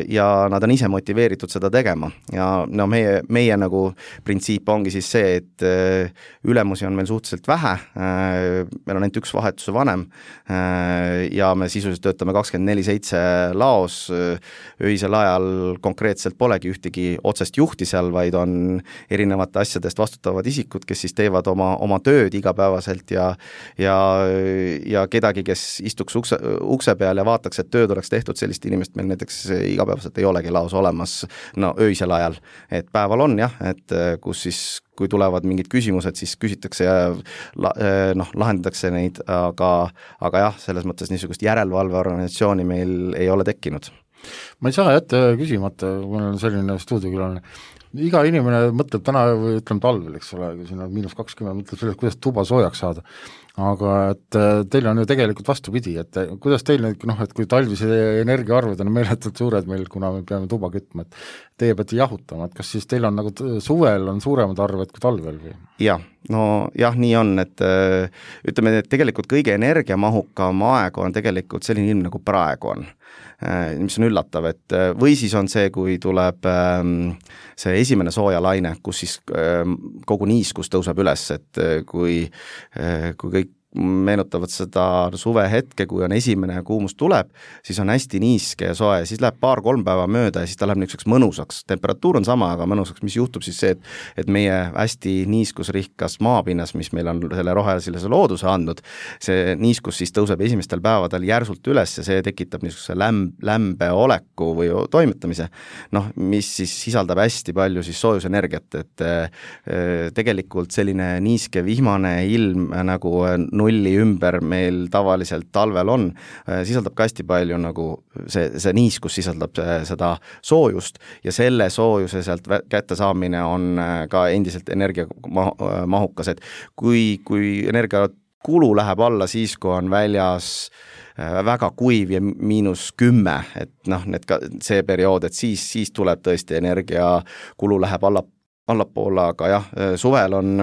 ja nad on ise motiveeritud seda tegema. Ja no meie, meie nagu printsiip ongi siis see, et äh, ülemusi on meil suhteliselt vähe, äh, meil on ainult üks vahetuse vanem äh, ja me sisuliselt töötame kakskümmend neli seitse laos, öisel ajal konkreetselt polegi ühtegi otsest juhti seal, vaid on erinevate asjadest vastutavad isikud, kes siis teevad oma, oma tööd igapäevaselt ja, ja, ja kedagi, kes istuks ukse, ukse peal ja vaataks, et tööd oleks tehtud, sellist inimest meil näiteks igapäevaselt ei olegi laos olemas, no öisel ajal, et päeval on jah, et kus siis kui tulevad mingid küsimused, siis küsitakse ja la, noh, lahendatakse neid, aga, aga jah, selles mõttes niisugust järelevalveorganisatsiooni meil ei ole tekkinud. Ma ei saa jätta küsimata, kui on selline stuudiokülaline. Iga inimene mõtleb täna või ütleme talvel, eks ole, kui siin on miinus kakskümmend, mõtleb sellest, kuidas tuba soojaks saada. Aga et teil on ju tegelikult vastupidi, et kuidas teil nüüd, noh, et kui talvise energiaarved on meeletult suured meil, kuna me peame tuba kütma, et teie peate jahutama, et kas siis teil on nagu suvel on suuremad arved kui talvel või? Jah, no jah, nii on, et ütleme, et tegelikult kõige energiamahukam aeg on tegelikult selline ilm nagu praegu on, mis on üllatav, et või siis on see, kui tuleb see esimene soojalaine, kus siis kogu niiskus tõuseb üles, et kui, kui kõik meenutavad seda suve hetke, kui on esimene kuumus tuleb, siis on hästi niiske ja soe, siis läheb paar-kolm päeva mööda ja siis ta läheb niisuguseks mõnusaks. Temperatuur on sama, aga mõnusaks, mis juhtub siis see, et, et meie hästi niiskusrikkas maapinnas, mis meil on selle rohelisele looduse andnud, see niiskus siis tõuseb esimestel päevadel järsult üles ja see tekitab niisuguse lämb, lämbe oleku või toimetamise, noh, mis siis sisaldab hästi palju siis soojusenergiat, et äh, tegelikult selline niiske vihmane ilm nagu nulli ümber meil tavaliselt talvel on, sisaldab ka hästi palju nagu see, see niiskus sisaldab seda soojust ja selle soojuse sealt kätte saamine on ka endiselt energiamahukas, et kui, kui energiakulu läheb alla siis, kui on väljas väga kuiv ja miinus kümme, et noh, need ka see periood, et siis, siis tuleb tõesti energiakulu läheb alla, allapoole, aga jah, suvel on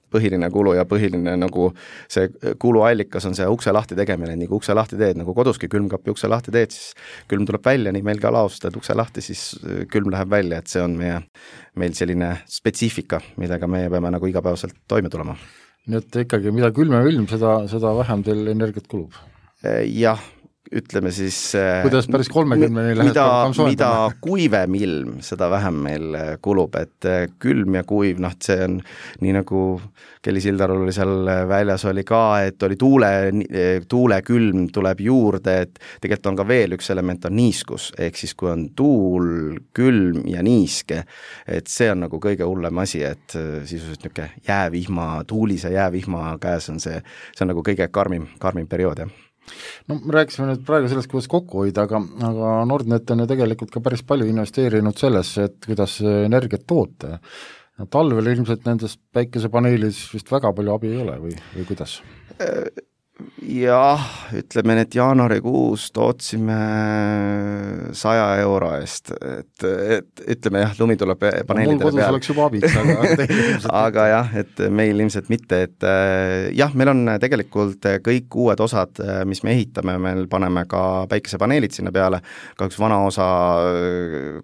põhiline kulu ja põhiline nagu see kuluallikas on see ukse lahti tegemine, nii kui ukse lahti teed, nagu koduski külmkapi ukse lahti teed, siis külm tuleb välja, nii meil ka laos teed ukse lahti, siis külm läheb välja, et see on meie, meil selline spetsiifika, millega meie peame nagu igapäevaselt toime tulema. Nii et ikkagi, mida külmem ilm, seda, seda vähem teil energiat kulub? Jah, ütleme siis kuidas päris kolmekümneni lähed mida, mida kuivem ilm, seda vähem meil kulub, et külm ja kuiv, noh, see on nii nagu Kelly Sildarul oli seal väljas oli ka, et oli tuule, tuule külm tuleb juurde, et tegelikult on ka veel üks element, on niiskus, ehk siis kui on tuul, külm ja niiske, et see on nagu kõige hullem asi, et sisuliselt niisugune jäävihma, tuulise jäävihma käes on see, see on nagu kõige karmim, karmim periood, jah. No me rääkisime nüüd praegu sellest, kuidas kokku hoida, aga, aga Nordnet on ju tegelikult ka päris palju investeerinud sellesse, et kuidas energiat toota. Talvel ilmselt nendest päikesepaneelis vist väga palju abi ei ole või, või kuidas? Jah, ütleme, et jaanuarikuus tootsime saja euro eest, et, et ütleme jah, lumi tuleb paneelidele peal. Mul kodus oleks juba abiks, aga aga jah, et meil ilmselt mitte, et jah, meil on tegelikult kõik uued osad, mis me ehitame, meil paneme ka päikesepaneelid sinna peale, kahjuks vana osa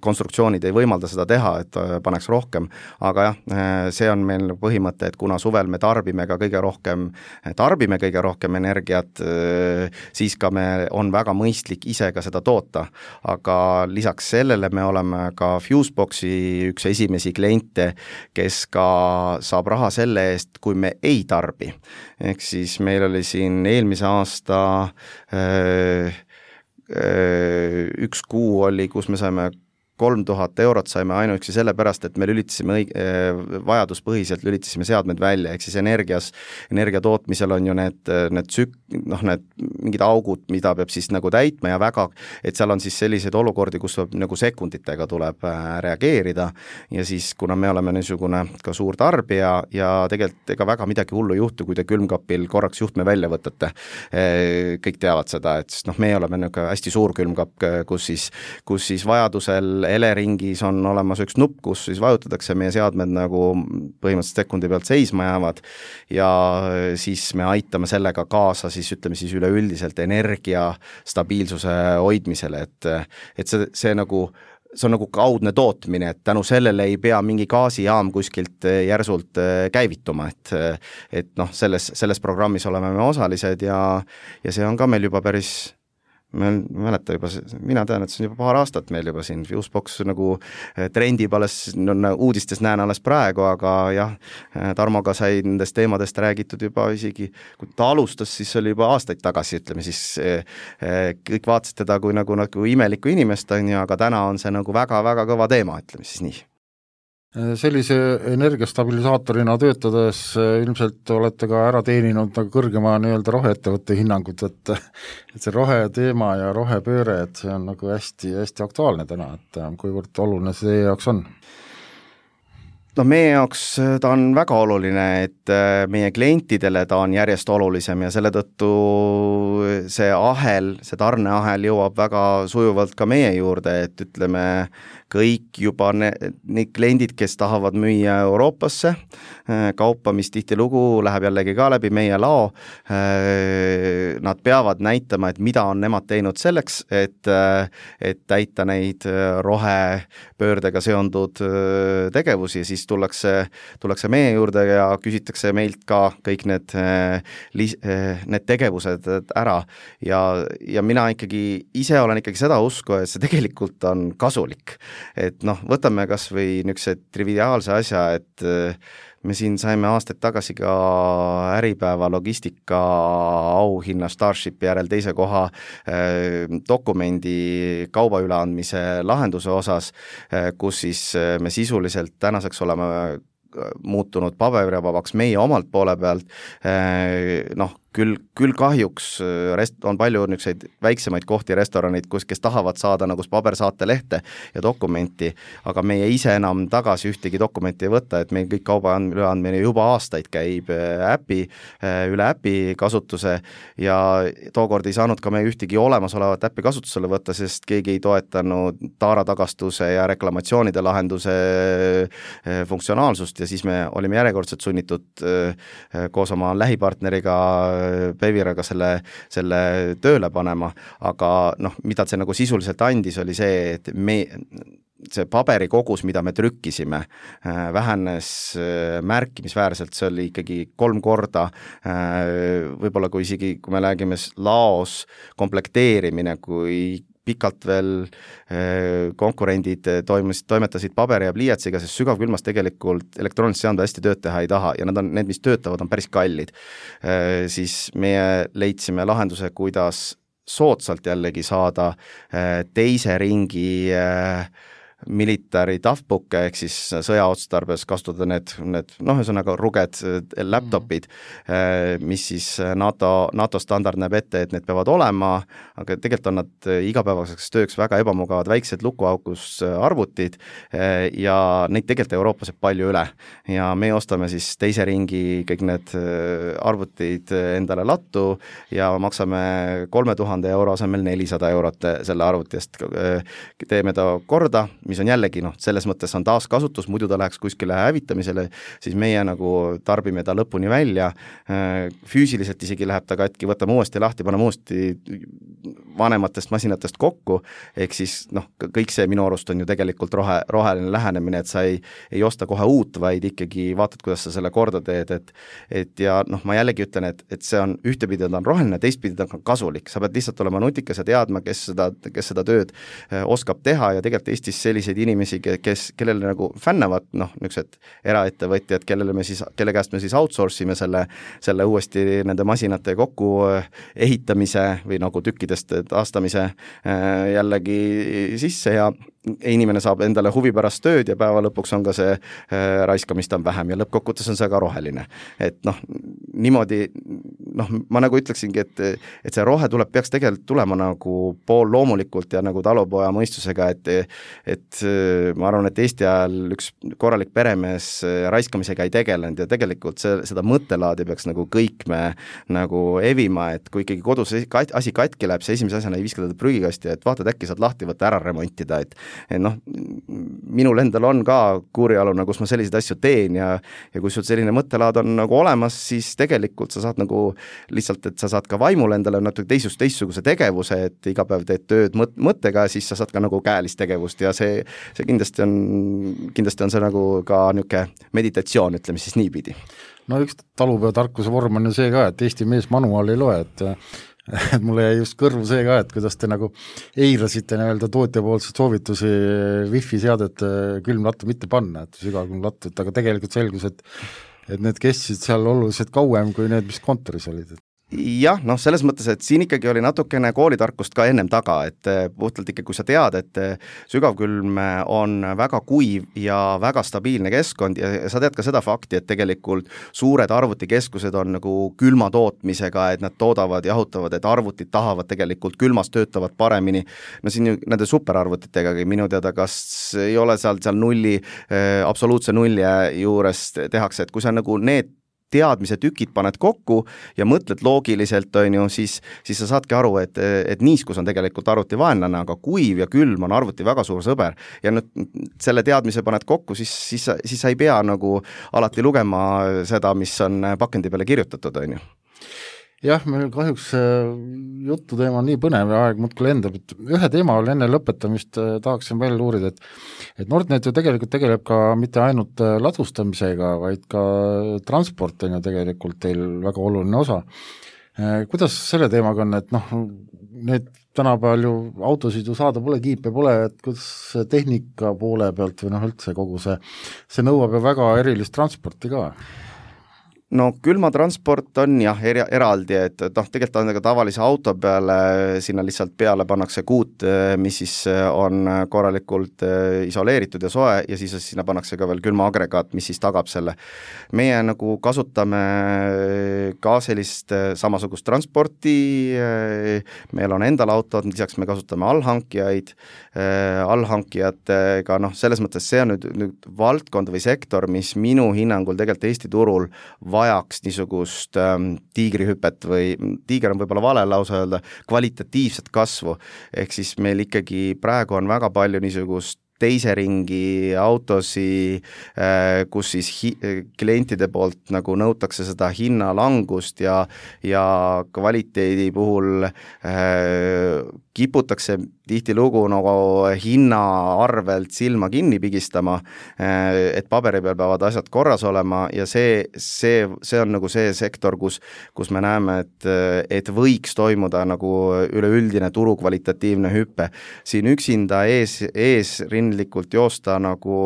konstruktsioonid ei võimalda seda teha, et paneks rohkem, aga jah, see on meil põhimõte, et kuna suvel me tarbime ka kõige rohkem, tarbime kõige rohkem energiat, siis ka me on väga mõistlik ise ka seda toota, aga lisaks sellele me oleme ka Fuseboxi üks esimesi kliente, kes ka saab raha selle eest, kui me ei tarbi. Ehk siis meil oli siin eelmise aasta öö, öö, üks kuu oli, kus me saime kolm tuhat eurot saime ainuüksi sellepärast, et me lülitasime õig- vajaduspõhiselt lülitasime seadmed välja, ehk siis energias, energia tootmisel on ju need, need tsük-, noh, need mingid augud, mida peab siis nagu täitma ja väga, et seal on siis selliseid olukordi, kus tuleb, nagu sekunditega tuleb reageerida ja siis, kuna me oleme niisugune ka suur tarbija ja tegelikult ega väga midagi hullu ei juhtu, kui te külmkapil korraks juhtme välja võtate, kõik teavad seda, et noh, me oleme niisugune hästi suur külmkapp, kus siis, kus siis vajadusel Eleringis on olemas üks nupp, kus siis vajutatakse meie seadmed nagu põhimõtteliselt sekundi pealt seisma jäävad ja siis me aitame sellega kaasa siis ütleme siis üleüldiselt energia stabiilsuse hoidmisele, et, et see, see nagu see on nagu kaudne tootmine, et tänu sellele ei pea mingi gaasijaam kuskilt järsult käivituma, et, et noh, selles, selles programmis oleme me osalised ja, ja see on ka meil juba päris ma mäleta juba, mina tean, et see on juba paar aastat meil juba siin Fusebox nagu trendib alles, no, uudistes näen alles praegu, aga jah, Tarmoga sai nendest teemadest räägitud juba isegi, kui ta alustas, siis oli juba aastaid tagasi, ütleme siis kõik vaatasid teda kui nagu, nagu imelikku inimest, aga täna on see nagu väga-väga kõva teema, ütleme siis nii. Sellise energiastabilisaatorina töötades ilmselt olete ka ära teeninud nagu kõrgema nii-öelda roheettevõtte hinnangut, et, et see roheteema ja rohepööre, et see on nagu hästi, hästi aktuaalne täna, et kuivõrd oluline see teie jaoks on? No meie jaoks ta on väga oluline, et meie klientidele ta on järjest olulisem ja selle tõttu see ahel, see tarneahel jõuab väga sujuvalt ka meie juurde, et ütleme, kõik juba ne, need kliendid, kes tahavad müüa Euroopasse, kaupa, mis tihtilugu läheb jällegi ka läbi meie lao, nad peavad näitama, et mida on nemad teinud selleks, et, et täita neid rohepöördega seondud tegevusi, siis tullakse, tullakse meie juurde ja küsitakse meilt ka kõik need, need tegevused ära ja, ja mina ikkagi ise olen ikkagi seda usku, et see tegelikult on kasulik. Et noh, võtame kas või niisuguse triviaalse asja, et me siin saime aastaid tagasi ka Äripäeva logistika auhinna Starshipi järel teise koha eh, dokumendi kauba üleandmise lahenduse osas, eh, kus siis me sisuliselt tänaseks oleme muutunud paberivabaks meie omalt poole pealt, eh, noh, küll, küll kahjuks rest, on palju niisuguseid väiksemaid kohti, restoranid, kus, kes tahavad saada nagu pabersaatelehte ja dokumenti, aga meie ise enam tagasi ühtegi dokumenti ei võta, et meil kõik kauba üleandmine juba aastaid käib äpi, üle äpi kasutuse ja tookord ei saanud ka me ühtegi olemasolevat äppi kasutusele võtta, sest keegi ei toetanud taaratagastuse ja reklamatsioonide lahenduse funktsionaalsust ja siis me olime järjekordselt sunnitud koos oma lähipartneriga Peviraga selle, selle tööle panema, aga noh, mida see nagu sisuliselt andis, oli see, et me see paberi kogus, mida me trükkisime, vähenes märkimisväärselt, see oli ikkagi kolm korda, võib-olla kui isegi, kui me räägime laos komplekteerimine, kui pikalt veel konkurendid toimus, toimetasid paberi ja pliiatsiga, sest sügavkülmas tegelikult elektroonilist seadmed hästi tööd teha ei taha ja nad on, need, mis töötavad, on päris kallid. Siis meie leidsime lahenduse, kuidas soodsalt jällegi saada teise ringi military toughbook'e ehk siis sõjaotstarbes kasutada need, need noh, ühesõnaga ruged laptopid, mis siis NATO, NATO standard näeb ette, et need peavad olema, aga tegelikult on nad igapäevaseks tööks väga ebamugavad väiksed lukuaukus arvutid ja neid tegelikult Euroopas jääb palju üle ja me ostame siis teise ringi kõik need arvutid endale lattu ja maksame kolme tuhande euro asemel nelisada eurot selle arvuti eest, teeme ta korda, mis on jällegi, noh, selles mõttes on taaskasutus, muidu ta läheks kuskile hävitamisele, siis meie nagu tarbime ta lõpuni välja, füüsiliselt isegi läheb ta katki, võtame uuesti lahti, paneme uuesti vanematest masinatest kokku, ehk siis noh, kõik see minu arust on ju tegelikult rohe, roheline lähenemine, et sa ei, ei osta kohe uut, vaid ikkagi vaatad, kuidas sa selle korda teed, et, et ja noh, ma jällegi ütlen, et, et see on ühtepidi ta on roheline, teistpidi ta on kasulik, sa pead lihtsalt olema nutikas ja teadma, kes seda, kes seda tööd oskab teha ja tegelikult Eestis selliseid inimesi, kes, kellele nagu fännavad, noh, niisugused eraettevõtjad, kellele me siis, kelle käest me siis outsource ime selle, selle uuesti nende masinate kokku ehitamise või nagu tükkidest taastamise jällegi sisse ja inimene saab endale huvi pärast tööd ja päeva lõpuks on ka see äh, raiskamist on vähem ja lõppkokkuvõttes on see ka roheline. Et noh, niimoodi, noh, ma nagu ütleksingi, et, et see rohe tuleb, peaks tegelikult tulema nagu pool loomulikult ja nagu talupoja mõistusega, et, et ma arvan, et Eesti ajal üks korralik peremees raiskamisega ei tegelenud ja tegelikult see, seda mõttelaadi peaks nagu kõik me nagu evima, et kui ikkagi kodus asi katki läheb, see esimese asjana ei viska teda prügikasti, et vaatad, äkki saad lahti võtta ära remontida, et et noh, minul endal on ka kuurialuna, kus ma selliseid asju teen ja, ja kui sul selline mõttelaad on nagu olemas, siis tegelikult sa saad nagu lihtsalt, et sa saad ka vaimul endale natuke teisust, teistsuguse tegevuse, et iga päev teed tööd mõt- mõttega, siis sa saad ka nagu käelist tegevust ja see, see kindlasti on, kindlasti on see nagu ka niisugune meditatsioon, ütleme siis niipidi. No üks talupeotarkuse vorm on ju see ka, et Eesti mees manuaal ei loe, et et mulle jäi just kõrvu see ka, et kuidas te nagu eirasite nii-öelda tootjapoolseid soovitusi wifi seadet külmlattu mitte panna, et sügavkülmlattu, et aga tegelikult selgus, et et need kestsid seal oluliselt kauem kui need, mis kontoris olid. Jah, noh, selles mõttes, et siin ikkagi oli natukene koolitarkust ka ennem taga, et puhtalt ikka, kui sa tead, et sügavkülm on väga kuiv ja väga stabiilne keskkond ja sa tead ka seda fakti, et tegelikult suured arvutikeskused on nagu külma tootmisega, et nad toodavad, jahutavad, et arvutid tahavad tegelikult külmas, töötavad paremini. No siin ju nende superarvutitega minu teada, kas ei ole seal, seal nulli, absoluutse nulli juures tehakse, et kui sa nagu need teadmise tükid paned kokku ja mõtled loogiliselt, on ju, siis, siis sa saadki aru, et, et niiskus on tegelikult arvuti vaenlane, aga kuiv ja külm on arvuti väga suur sõber. Ja nüüd selle teadmise paned kokku, siis, siis, siis sa ei pea nagu alati lugema seda, mis on pakendi peale kirjutatud, on ju. Jah, meil kahjuks jutu teema on nii põnev ja aeg muudkui lendab, et ühe teema veel enne lõpetamist tahaksin veel uurida, et, et Nordnet ju tegelikult tegeleb ka mitte ainult ladustamisega, vaid ka transport on ju tegelikult teil väga oluline osa. Kuidas selle teemaga on, et noh, need tänapäeval ju autosid ju saada pole, kiipe pole, et kuidas tehnika poole pealt või noh üldse kogu see, see nõuab ju väga erilist transporti ka? No külmatransport on jah, er, eraldi, et noh, tegelikult on ka tavalise auto peale, sinna lihtsalt peale pannakse kuut, mis siis on korralikult isoleeritud ja soe ja siis sinna pannakse ka veel külmaagregaat, mis siis tagab selle. Meie nagu kasutame ka sellist samasugust transporti, meil on endal autod, lisaks me kasutame allhankijaid, allhankijatega, noh, selles mõttes see on nüüd, nüüd valdkond või sektor, mis minu hinnangul tegelikult Eesti turul vajaks niisugust ähm, tiigrihüpet või tiiger on võib-olla vale lausa öelda, kvalitatiivset kasvu, ehk siis meil ikkagi praegu on väga palju niisugust teise ringi autosi, kus siis hi- klientide poolt nagu nõutakse seda hinnalangust ja, ja kvaliteedi puhul äh, kiputakse tihtilugu nagu hinna arvelt silma kinni pigistama, et paberi peal peavad asjad korras olema ja see, see, see on nagu see sektor, kus, kus me näeme, et, et võiks toimuda nagu üleüldine turu kvalitatiivne hüppe. Siin üksinda ees, eesrindlikult joosta nagu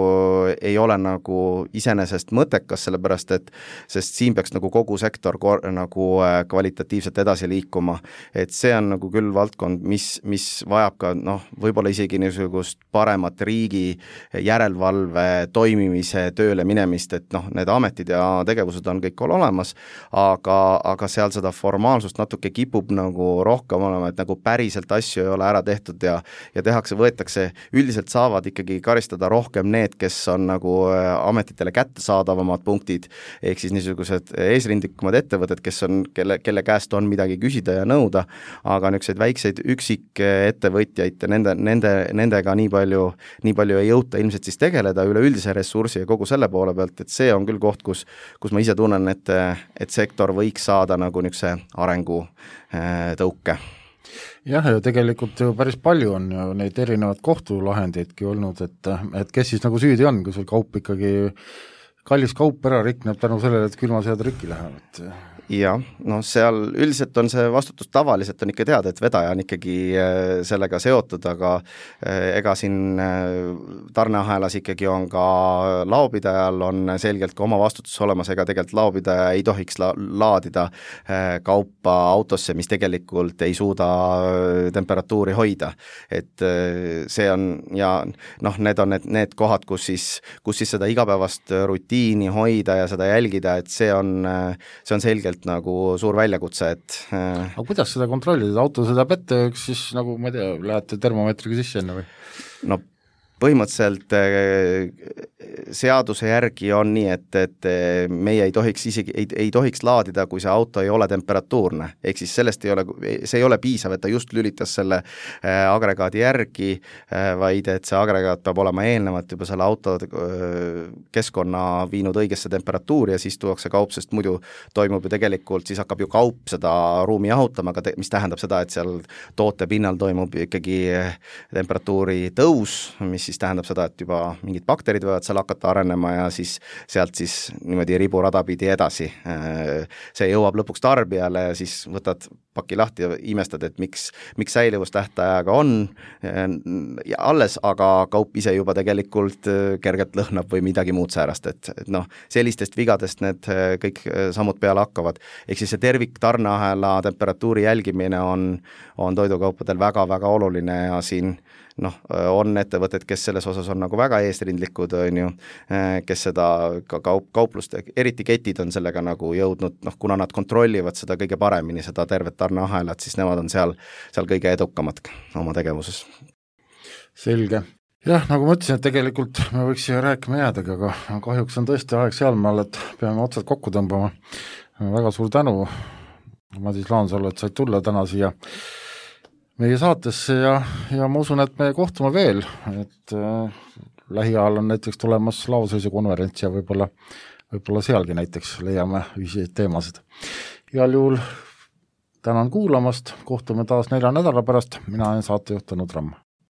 ei ole nagu iseenesest mõttekas, sellepärast et sest siin peaks nagu kogu sektor kor, nagu kvalitatiivselt edasi liikuma. Et see on nagu küll valdkond, mis mis vajab ka noh, võib-olla isegi niisugust paremat riigi järelevalve toimimise tööle minemist, et noh, need ametid ja tegevused on kõik olemas, aga, aga seal seda formaalsust natuke kipub nagu rohkem olema, et nagu päriselt asju ei ole ära tehtud ja, ja tehakse, võetakse, üldiselt saavad ikkagi karistada rohkem need, kes on nagu ametitele kättesaadavamad punktid, ehk siis niisugused eesrindlikumad ettevõtted, kes on, kelle, kelle käest on midagi küsida ja nõuda, aga niisuguseid väikseid üksik ettevõtjaid, nende, nende, nendega nii palju, nii palju ei jõuta ilmselt siis tegeleda üleüldise ressursi ja kogu selle poole pealt, et see on küll koht, kus, kus ma ise tunnen, et, et sektor võiks saada nagu niisuguse arengu tõuke. Jah, ja tegelikult ju päris palju on ju neid erinevaid kohtulahendeidki olnud, et, et kes siis nagu süüdi on, kui sul kaup ikkagi, kallis kaup ära rikneb tänu sellele, et külmasead rikki lähevad. jah, noh seal üldiselt on see vastutus tavaliselt on ikka teada, et vedaja on ikkagi sellega seotud, aga ega siin tarneahelas ikkagi on ka laopidajal on selgelt ka oma vastutus olemas, ega tegelikult laopidaja ei tohiks la- laadida kaupa autosse, mis tegelikult ei suuda temperatuuri hoida. Et see on ja noh, need on need, need kohad, kus siis, kus siis seda igapäevast rutiini hoida ja seda jälgida, et see on, see on selgelt nagu suur väljakutse, et aga kuidas seda kontrollida, auto sõidab ette, üks siis nagu ma ei tea, lähete termomeetriga sisse enne või? No põhimõtteliselt seaduse järgi on nii, et, et meie ei tohiks isegi, ei, ei tohiks laadida, kui see auto ei ole temperatuurne, ehk siis sellest ei ole, see ei ole piisav, et ta just lülitas selle agregaadi järgi, vaid et see agregaat peab olema eelnevalt juba selle auto keskkonna viinud õigesse temperatuuri ja siis tuuakse kaup, sest muidu toimub ju tegelikult, siis hakkab ju kaup seda ruumi jahutama, aga te, mis tähendab seda, et seal toote pinnal toimub ikkagi temperatuuri tõus, mis siis tähendab seda, et juba mingid bakterid võivad seal hakata arenema ja siis sealt siis niimoodi riburada pidi edasi. See jõuab lõpuks tarbijale ja siis võtad paki lahti ja imestad, et miks, miks säilivustähtajaga on ja alles, aga kaup ise juba tegelikult kergelt lõhnab või midagi muud säärast, et, et noh, sellistest vigadest need kõik sammud peale hakkavad. Ehk siis see tervik tarneahela temperatuuri jälgimine on, on toidukaupadel väga-väga oluline ja siin noh, on ettevõtted, kes selles osas on nagu väga eesrindlikud, on ju, kes seda ka kaup, kauplust, eriti ketid on sellega nagu jõudnud, noh, kuna nad kontrollivad seda kõige paremini, seda tervet tarneahelat, siis nemad on seal, seal kõige edukamad oma tegevuses. Selge. Jah, nagu ma ütlesin, et tegelikult me võiks siia rääkima jäädagi, aga kahjuks on tõesti aeg sealmaal, et peame otsad kokku tõmbama. Väga suur tänu, Madis Laansalu, et said tulla täna siia meie saatesse ja, ja ma usun, et me kohtume veel, et äh, lähiajal on näiteks tulemas laoseisekonverents ja võib-olla, võib-olla sealgi näiteks leiame ühiseid teemasid. Igal juhul tänan kuulamast, kohtume taas nelja nädala pärast, mina olen saatejuht Tõnu Tramm.